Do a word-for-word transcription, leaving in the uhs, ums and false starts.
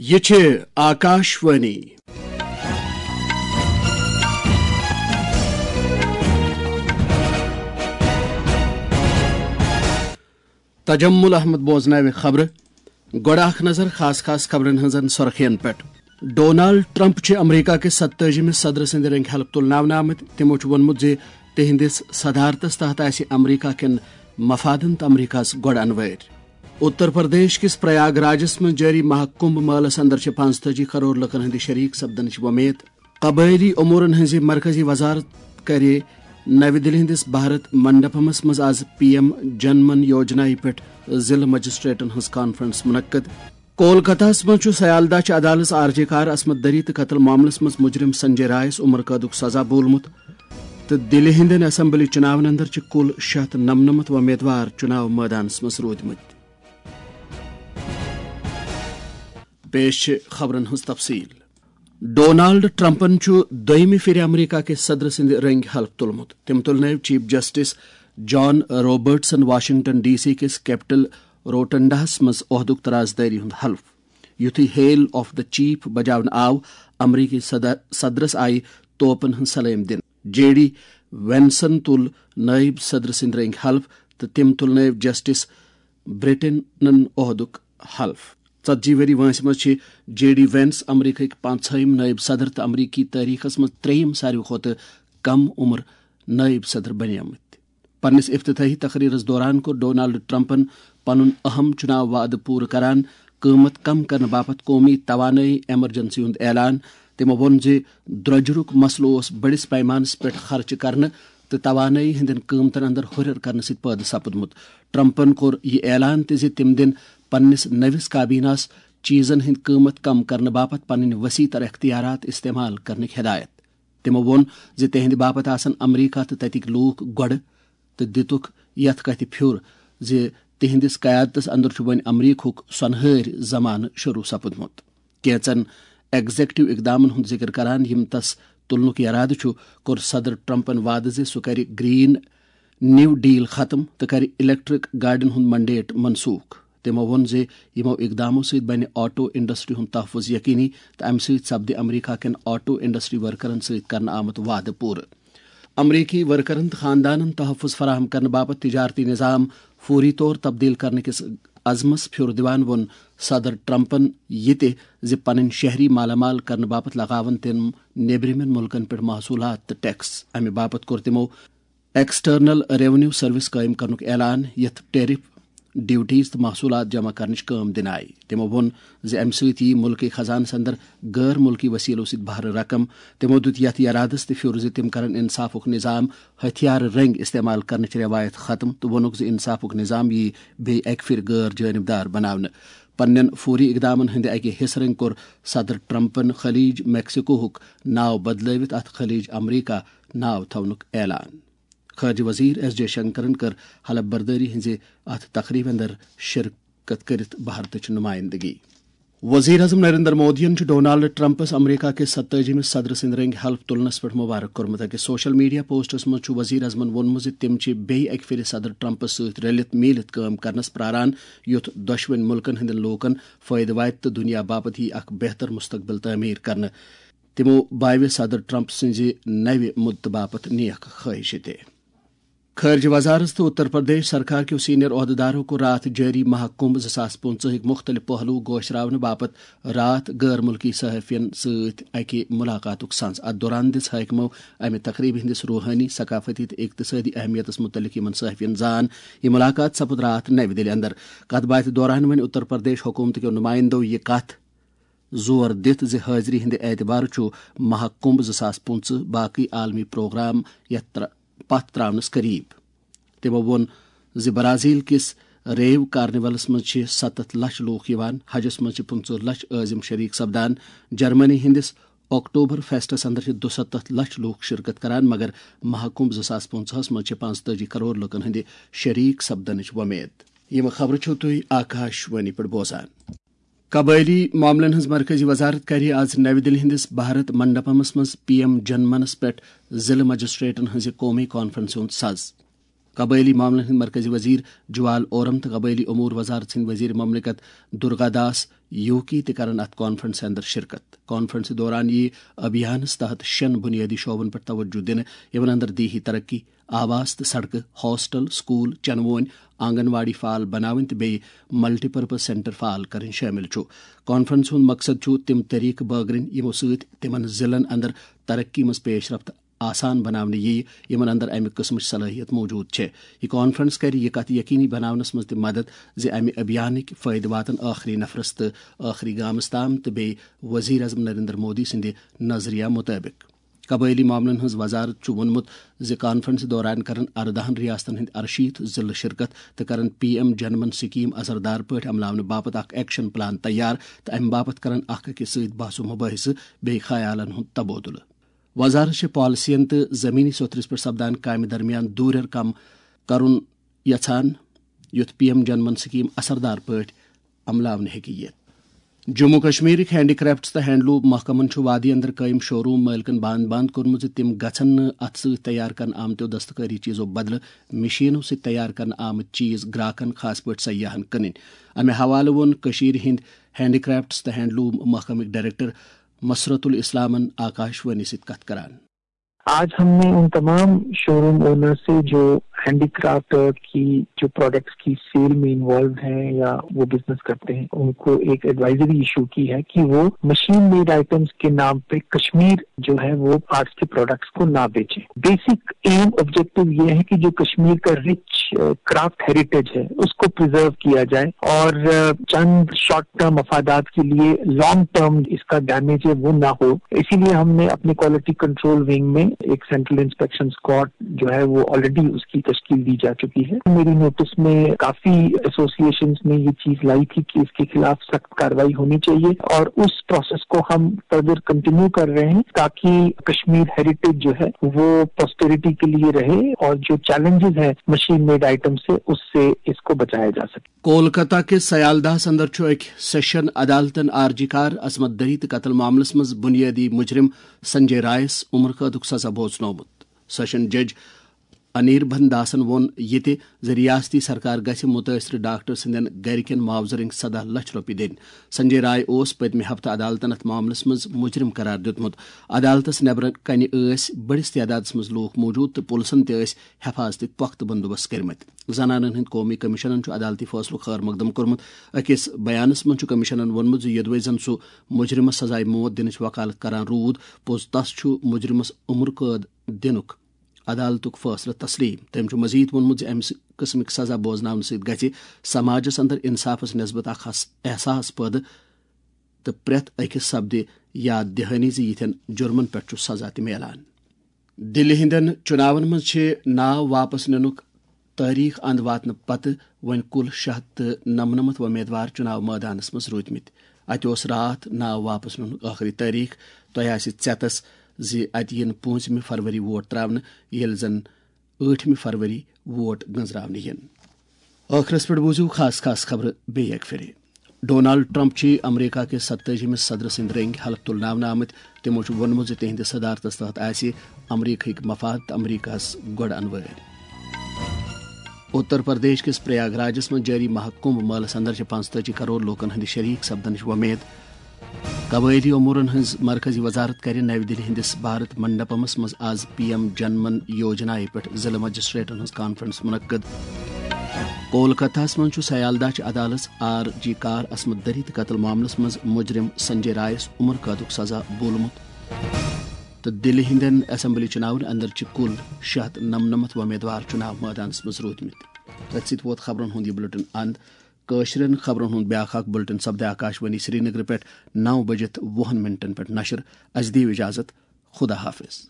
یہِ چھِ آکاش وانی۔ تجمل احمد بوزناوِ خبرٕ۔ گۄڈٕ اکھ نظر خاص خاص خبرن ہٕنٛزن سرخین پٮ۪ٹھ۔ ڈونالڈ ٹرمپ چھِ امریکہ کِس ستٲجِمِس صدرٕ سٕنٛدِ رٔنٛگۍ حلف تُلناونہٕ آمٕتۍ۔ تِمو چھُ ووٚنمُت زِ تِہنٛدِس صدارتس تحت آسہِ امریکہ کٮ۪ن مفادن تہٕ امریکہس گۄڈٕ انوٲرۍ۔ اتر پردیش کِس پریاگ راجس منٛز جٲری مہا کمبھ مٲلس اندر چھِ پانٛژتٲجی کرور لُکن ہٕنٛدِ شریک سپدنٕچ وۄمید۔ قبٲئلی امورن ہٕنٛزِ مرکزی وزارت کرِ نَوِ دِلہِ ہٕنٛدِس بھارت منڈپمس منٛز آز پی ایم جن من یوجنایہِ پٮ۪ٹھ ضلعہٕ مجسٹریٹن ہٕنٛز کانفرنس منعقد۔ کولکتہس منٛز چھُ سیالدہ چہِ عدالژ آر جے کار عصمت دری تہٕ قتل معاملس منٛز مجرم سنجے رائس عمر قٲدُک سزا بولمُت تہٕ دِلہِ ہٕنٛدٮ۪ن اسمبلی چُناون اندر چھِ کُل شےٚ ہتھ نمنمتھ وۄمیدوار چُناو مٲدانس منٛز روٗدمٕتۍ۔ پیش چھِ خبرن ہٕنٛز تفصیل۔ ڈونالڈ ٹرمپن چھُ دوٚیمہِ پھِرِ امریکہ کِس صدرٕ سٕنٛدِ رٔنٛگۍ حلف تُلمُت۔ تٔمۍ تُلنٲوۍ چیف جسٹس جان رابرٹسن واشنگٹن ڈی سی کِس کیپٹل روٹنڈاہس منٛز عہدُک ترازدٲری ہُنٛد حلف۔ یُتھُے ہیل آف دی چیف بجاونہٕ آو، امریکی صدر، صدرس آیہِ توپن ہٕنٛز سلٲمۍ دِنہٕ۔ جے ڈی وینسن تُل نٲیِب صدرٕ سٕنٛدِ رٔنٛگۍ حلف تہٕ تٔمۍ تُلنٲوۍ جسٹس برٹنن عہدُک حلف۔ ژتجی ؤری وٲنٛسہِ منٛز چھِ جے ڈی وینس امریکہٕکۍ پانٛژہٲیِم نٲیِب صدر تہٕ امریکی تٲریخس منٛز ترٛیٚیِم ساروی کھۄتہٕ کم عمر نٲیِب صدر بنیمٕتۍ۔ پننِس افتتاحی تقریرس دوران کوٚر ڈونالڈ ٹرمپن پنُن اہم چُناو وعدٕ پوٗرٕ کران، قۭمتھ کم کرنہٕ باپتھ قومی توانٲیی ایمرجنسی ہُنٛد اعلان۔ تٔمۍ ووٚن زِ درٛۄجرُک مسلہٕ اوس بٔڑِس پیمانس پٮ۪ٹھ خرچہٕ کرنہٕ تہٕ توانٲیی ہٕنٛدٮ۪ن قۭمتن اندر ہُرٮ۪ر کرنہٕ سۭتۍ پٲدٕ سپُدمُت۔ ٹرمپن کوٚر یہِ اعلان تہِ زِ تِم دِن پننِس نٔوِس کابیناہس چیزن ہٕنٛدۍ قۭمتھ کم کرنہٕ باپتھ پنٕنۍ وسیع تر اختیارات استعمال کرنٕکۍ ہدایت۔ تِمو ووٚن زِ تِہنٛدِ باپتھ آسن امریکہ تہٕ تتِکۍ لوٗکھ گۄڈٕ، تہٕ دِتُکھ یتھ کتھِ پھیُر زِ تِہنٛدِس قیادتس اندر چھُ وۄنۍ امریکہُک سۄنہٲرۍ زمانہٕ شروع سپُدمُت۔ کینژن ایگزیکٹو اقدامن ہُنٛد ذکر کران، یِم تس تُلنُک ارادٕ چھُ، کوٚر صدر ٹرمپن وعدٕ زِ سُہ کرِ گرین نیو ڈیل ختم تہٕ کرِ الیکٹرک گاڑٮ۪ن ہُنٛد منڈیٹ منسوخ۔ تِمو ووٚن زِ یِمو اقدامو سۭتۍ بنہِ آٹو انڈسٹری ہُنٛد تحفظ یقینی تہٕ امہِ سۭتۍ سپدِ امریکہ کٮ۪ن آٹو انڈسٹری ورکرن سۭتۍ کرنہٕ آمُت وعدٕ پوٗرٕ۔ امریکی ورکرن تہٕ خاندانن تحفظ فراہم کرنہٕ باپتھ تجارتی نظام فوری طور تبدیل کرنہٕ کِس عزمس پھیُر دِوان ووٚن صدر ٹرمپن یہِ تہِ زِ پنٕنۍ شہری مالا مال کرنہٕ باپتھ لگاون تِم نیبرِمٮ۪ن مُلکن پٮ۪ٹھ محصولات تہٕ ٹیکس۔ امہِ باپتھ کوٚر تِمو ایکسٹرنل ریونیو سروس قٲیِم کرنُک اعلان، یتھ ٹیرف، ڈیوٹیز تہٕ محصولات جمع کرنٕچ کٲم دِنہٕ آیہِ۔ تِمو ووٚن زِ امہِ سۭتۍ یِیہِ مُلکٕکۍ خزانس اندر غٲر مُلکی وسیلو سۭتۍ بہرٕ رقم۔ تِمو دیُت یتھ یرادس تہِ پھیُر زِ تِم کرن انصافُک نظام ہتھیارٕ رٔنگۍ استعمال کرنٕچ روایت ختم تہٕ ووٚنُکھ زِ انصافُک نظام یِیہِ بیٚیہِ اکہِ پھِرِ غٲر جٲنبدار بناونہٕ۔ پننٮ۪ن فوری اقدامن ہٕنٛدِ اکہِ حصہٕ رٔنگۍ کوٚر صدر ٹرمپن خلیج میکسیکوہُک ناو بدلٲوِتھ اتھ خلیج امریکہ ناو تھاونُک اعلان۔ خارجہ وزیر ایس جے شنکرن کٔر حلف بردٲری ہٕنٛزِ اتھ تقریبہِ اندر شرکت کٔرِتھ بھارتٕچ نمائندگی۔ وزیر اعظم نریندر مودیَن چھُ ڈونالڈ ٹرمپس امریکہ کِس ستٲجِمِس صدرٕ سٕنٛدِ رٔنٛگۍ حلف تُلنس پٮ۪ٹھ مبارک کوٚرمُت۔ أکِس سوشل میڈیا پوسٹس منٛز چھُ وزیر اعظمن ووٚنمُت زِ تِم چھِ بیٚیہِ اکہِ پھِرِ صدر ٹرمپس سۭتۍ رٔلِتھ میٖلِتھ کٲم کرنس پراران، یُتھ دۄشوٕنۍ مُلکن ہٕنٛدٮ۪ن لوٗکن فٲیدٕ واتہِ تہٕ دُنیا باپتھ یِیہِ اکھ بہتر مستقبل تعمیٖر کرنہٕ۔ تِمو باوِ صدر ٹرمپ سٕنٛزِ نوِ مُدتہٕ باپتھ نیک خٲہِشہِ تہِ۔ خارجہ وزارت تہٕ اتر پردیش سرکار کیو سینئر عہدیدارو کوٚر راتھ جٲری مہا کمبھ زٕ ساس پٕنٛژٕہٕکۍ مُختٔلِف پہلو گوشراونہٕ باپتھ راتھ غٲر مُلکی صحافین سۭتۍ اکہِ ملاقاتُک سنز۔ اتھ دوران دِژ حٲکمو امہِ تقریبہِ ہٕنٛدِس روحٲنی، ثقافتی تہٕ اقتصٲدی اہمیتس مُتعلق یِمن صحافین زان۔ یہِ ملاقات سپُد راتھ نوِ دِلہِ اندر۔ کتھ باتھِ دوران ؤنۍ اتر پردیش حکومت کیو نمایندو یہِ کتھ زور دِتھ زِ حٲضری ہٕنٛدِ اعتبارٕ چھُ مہا کمبھ زٕ ساس پٕنٛژٕہ باقٕے عالمی پروگرام یتھ تر-، پتھ تراونس قریب۔ تِمو ووٚن زِ برازیل کِس ریو کارنیولس منٛز چھِ ستتھ لچھ لوٗکھ یِوان، حجس منٛز چھِ پٕنٛژٕہ لچھ عٲزم شریک سپدان۔ جرمنی ہٕنٛدِس اکتوبر فیسٹس اندر چھِ دُستتھ لچھ لوٗکھ شرکت کران، مگر مہا کمبھ زٕ ساس پٕنٛژٕہس منٛز چھِ پانٛژتٲجی کرور لوٗکن ہٕنٛدِ شریک سپدنٕچ وۄمید۔ یِم خبرٕ چھِو تُہۍ آکاش وانی پٮ۪ٹھ بوزان۔ قبٲئلی معاملن ہٕنٛز مرکزی وزارت کَرِ آز نَوِ دِلہِ ہٕنٛدِس بھارت منڈپمس منٛز پی ایم جن منس پٮ۪ٹھ ضلعہٕ مجسٹریٹن ہٕنٛزِ قومی کانفرنسہِ ہُنٛد سَز۔ قبٲئلی معاملن ہٕنٛدۍ مرکزی وزیر جوال اورم تہٕ قبٲئلی امور وزارت سٕنٛدۍ وزیر مملکت درگا داس یوکی تہِ کرن اتھ کانفرنسہِ اندر شرکت۔ کانفرنسہِ دوران یِیہِ ابھیانس تحت شٮ۪ن بنیٲدی شعبن پٮ۪ٹھ توجہ دِنہٕ، یِمن اندر دیہی ترقی، آواس تہٕ سڑکہٕ، ہاسٹل، سکول، چنہٕ وونۍ، آنگن واڑی فعال بناوٕنۍ تہٕ بیٚیہِ ملٹی پرپز سینٹر فعال کرٕنۍ شٲمِل چھُ۔ کانفرنسہِ ہُنٛد مقصد چھُ تِم طریقہٕ بٲگرٕنۍ، یِمو سۭتۍ تِمن ضلعن اندر ترقی منٛز پیش رفت آسان بناونہٕ یِیہِ، یِمن اندر امہِ قٕسمٕچ صلٲحیت موجود چھےٚ۔ یہِ کانفرنس کرِ یہِ کتھ یقینی بناونس منٛز تہِ مدد زِ امہِ ابھیانٕکۍ فٲیدٕ واتن ٲخری نفرس تہٕ ٲخری گامس تام تہٕ بیٚیہِ وزیر اعظم نریندر مودی سٕنٛدِ نظریہ مطٲبق۔ قبٲئلی معاملن ہٕنٛز وزارت چھُ ووٚنمُت زِ کانفرنسہِ دوران کرن ارداہن ریاستن ہٕنٛدۍ ارشیٖتھ ضلعہٕ شرکت تہٕ کرن پی ایم جن من سکیٖم اثردار پٲٹھۍ عملاونہٕ باپتھ اکھ ایکشن پلان تیار تہٕ امہِ باپتھ کرن اکھ أکِس سۭتۍ بحث و مباحثہٕ بیٚیہِ خیالن ہُنٛد تبادلہٕ۔ وزارت چھِ پالیسین تہٕ زمینی سوٚتھرِس پٮ۪ٹھ سپدان کامہِ درمیان دوٗرٮ۪ر کم کرُن یژھان، یُتھ پی ایم جن من سکیٖم اثردار پٲٹھۍ عملاونہٕ ہیٚکہِ یِتھ۔ جموں کشمیرٕکۍ ہینڈی کرافٹس تہٕ ہینڈلوم محکمن چھُ وادی اندر قٲیِم شوروم مٲلکن باند باند کوٚرمُت زِ تِم گژھن نہٕ اتھٕ سۭتۍ تیار کرنہٕ آمتیو دستکٲری چیٖزو بدلہٕ مشینو سۭتۍ تیار کرنہٕ آمٕتۍ چیٖز گراکن، خاص پٲٹھۍ سیاحن، کٕنٕنۍ۔ امہِ حوالہٕ ووٚن کٔشیٖرِ ہٕنٛدۍ ہینڈی کرافٹس تہٕ ہینڈلوم محکمٕکۍ ڈائریکٹر مسرت الاسلامن آکاش وانی سۭتۍ کتھ کران۔ آج ہم نے ان تمام شوروم اونر سے جو ہینڈی کرافٹ کی جو پروڈکٹس کی سیل میں انوالو ہیں یا وہ بزنس کرتے ہیں، ان کو ایک ایڈوائزری ایشو کی ہے کہ وہ مشین میڈ آئٹمس کے نام پہ کشمیر جو ہے وہ آرٹس کے پروڈکٹس کو نہ بیچیں۔ بیسک ایم آبجیکٹو یہ ہے کہ جو کشمیر کا رچ کرافٹ ہیریٹیج ہے اس کو پرزرو کیا جائے اور چند شارٹ ٹرم مفادات کے لیے لانگ ٹرم اس کا ڈیمیج ہے وہ نہ ہو۔ اسی لیے ہم نے اپنے کوالٹی کنٹرول ونگ میں ایک سینٹرل انسپیکشن اسکواڈ جو ہے وہ آلریڈی اس کی تشکیل دی جا چکی ہے۔ میری نوٹس میں کافی ایسوسی ایشنز نے یہ چیز لائی تھی کہ اس کے خلاف سخت کارروائی ہونی چاہیے اور اس پروسیس کو ہم فردر کنٹینیو کر رہے ہیں تاکہ کشمیر ہیریٹیج جو ہے وہ پراسپیرٹی کے لیے رہے اور جو چیلنجز ہیں مشین میڈ آئٹم سے اس سے اس کو بچایا جا سکے۔ کولکتہ کِس سیالدہس اندر چھُ أکۍ سیشن عدالتن آر جی کار عصمت دری تہٕ قتل معاملس منٛز بنیٲدی مجرم سنجے رائس عمر قٲدُک سزا بوزنومُت۔ سیشن جج انیربندھ داسن ووٚن یہِ تہِ زِ ریاستی سرکار گژھِ مُتٲثرٕ ڈاکٹر سٕنٛدٮ۪ن گرِکٮ۪ن معاوضہٕ رٔنگۍ سداہ لچھ رۄپیہِ دِنۍ۔ سنجے رائے اوس پٔتمہِ ہفتہٕ عدالتن اتھ معاملس منٛز مجرم قرار دیُتمُت۔ عدالتس نیبرٕ کنہِ ٲسۍ بٔڑِس تعدادس منٛز لوٗکھ موجود تہٕ پُلسن تہِ ٲسۍ حفاظتٕکۍ پۄختہٕ بندوبست کٔرمٕتۍ۔ زنانن ہٕنٛدۍ قومی کمیشنن چھُ عدالتی فٲصلُک خٲر مقدم کوٚرمُت۔ أکِس بیانس منٛز چھُ کمیشنن ووٚنمُت زِ یوٚدوَے زن سُہ مجرمس سزائے موت دِنٕچ وکالت کران روٗد، پوٚز تس چھُ مجرمس عمر قٲد دِنُک عدالتُک فٲصلہٕ تسلیم۔ تٔمۍ چھُ مزید ووٚنمُت زِ امہِ قٕسمٕکۍ سزا بوزناونہٕ سۭتۍ گژھِ سماجس اندر انصافس نسبت اکھ حس-، احساس پٲدٕ تہٕ پرٛٮ۪تھ أکِس سپدِ یاد دہانی زِ یِتھٮ۪ن جُرمن پٮ۪ٹھ چھُ سزا تہِ میلان۔ دِلہِ ہٕنٛدٮ۪ن چُناون منٛز چھِ ناو واپس نِنُک تٲریخ اند واتنہٕ پتہٕ وۄنۍ کُل شےٚ ہتھ تہٕ نَمنَمَتھ وۄمیدوار چُناو مٲدانس منٛز روٗدمٕتۍ۔ اتہِ اوس راتھ ناو واپس نِنُک ٲخری تٲریخ۔ تۄہہِ آسہِ ژٮ۪تس زِ اتہِ یِن پوٗنٛژمہِ فروری ووٹ تراونہٕ، ییٚلہِ زن ٲٹھمہِ فروری ووٹ گنزراونہٕ یِن۔ ٲخرس پٮ۪ٹھ بوٗزِو خاص خاص خبرٕ بیٚیہِ اکہِ پھِرِ۔ ڈونالڈ ٹرمپ چھِ امریکہ کِس ستٲجِمِس صدرٕ سٕنٛدۍ رٔنگۍ حلف تُلناونہٕ آمٕتۍ۔ تِمو چھُ ووٚنمُت زِ تِہنٛدِس صدارتس تحت آسہِ امریکہٕکۍ مفاد تہٕ امریکہس گۄڈٕ انوٲرۍ۔ اتر پردیش کِس پریاگ راجس منٛز جٲری مہا کمبھ مٲلس اندر چھِ پانٛژتٲجی کرور لوٗکن ہٕنٛدِ شریک سپدنٕچ وۄمید۔ قبٲئلی امورن ہٕنٛز مرکزی وزارت کرِ نَوِ دِلہِ ہٕنٛدِس بھارت منڈپمس منٛز آز پی ایم جن من یوجنایہِ پٮ۪ٹھ ضلعہٕ مجسٹریٹن ہٕنٛز کانفرنس منعقد۔ کولکتہس منٛز چھُ سیالدہ چہِ عدالژ آر جی کار عصمت دری تہٕ قتل معاملس منٛز مجرم سنجے رائس عمر قٲدُک سزا بولمُت۔ تہٕ دِلہِ ہٕنٛدٮ۪ن اسمبلی چُناون اندر چھِ کُل شےٚ ہتھ نَمنَمَتھ وۄمیدوار چُناو مٲدانس منٛز روٗدمٕتۍ۔ تٔتھۍ سۭتۍ ووت خبرن ہُنٛد یہِ بُلٹن اند۔ کٲشرٮ۪ن خبرن ہُنٛد بیٛاکھ اکھ بُلٹن سپدِ آکاش وانی سرینگرٕ پٮ۪ٹھ نَو بجِتھ وُہن منٹن پٮ۪ٹھ نشر۔ اسہِ دِیِو اجازت۔ خدا حافظ۔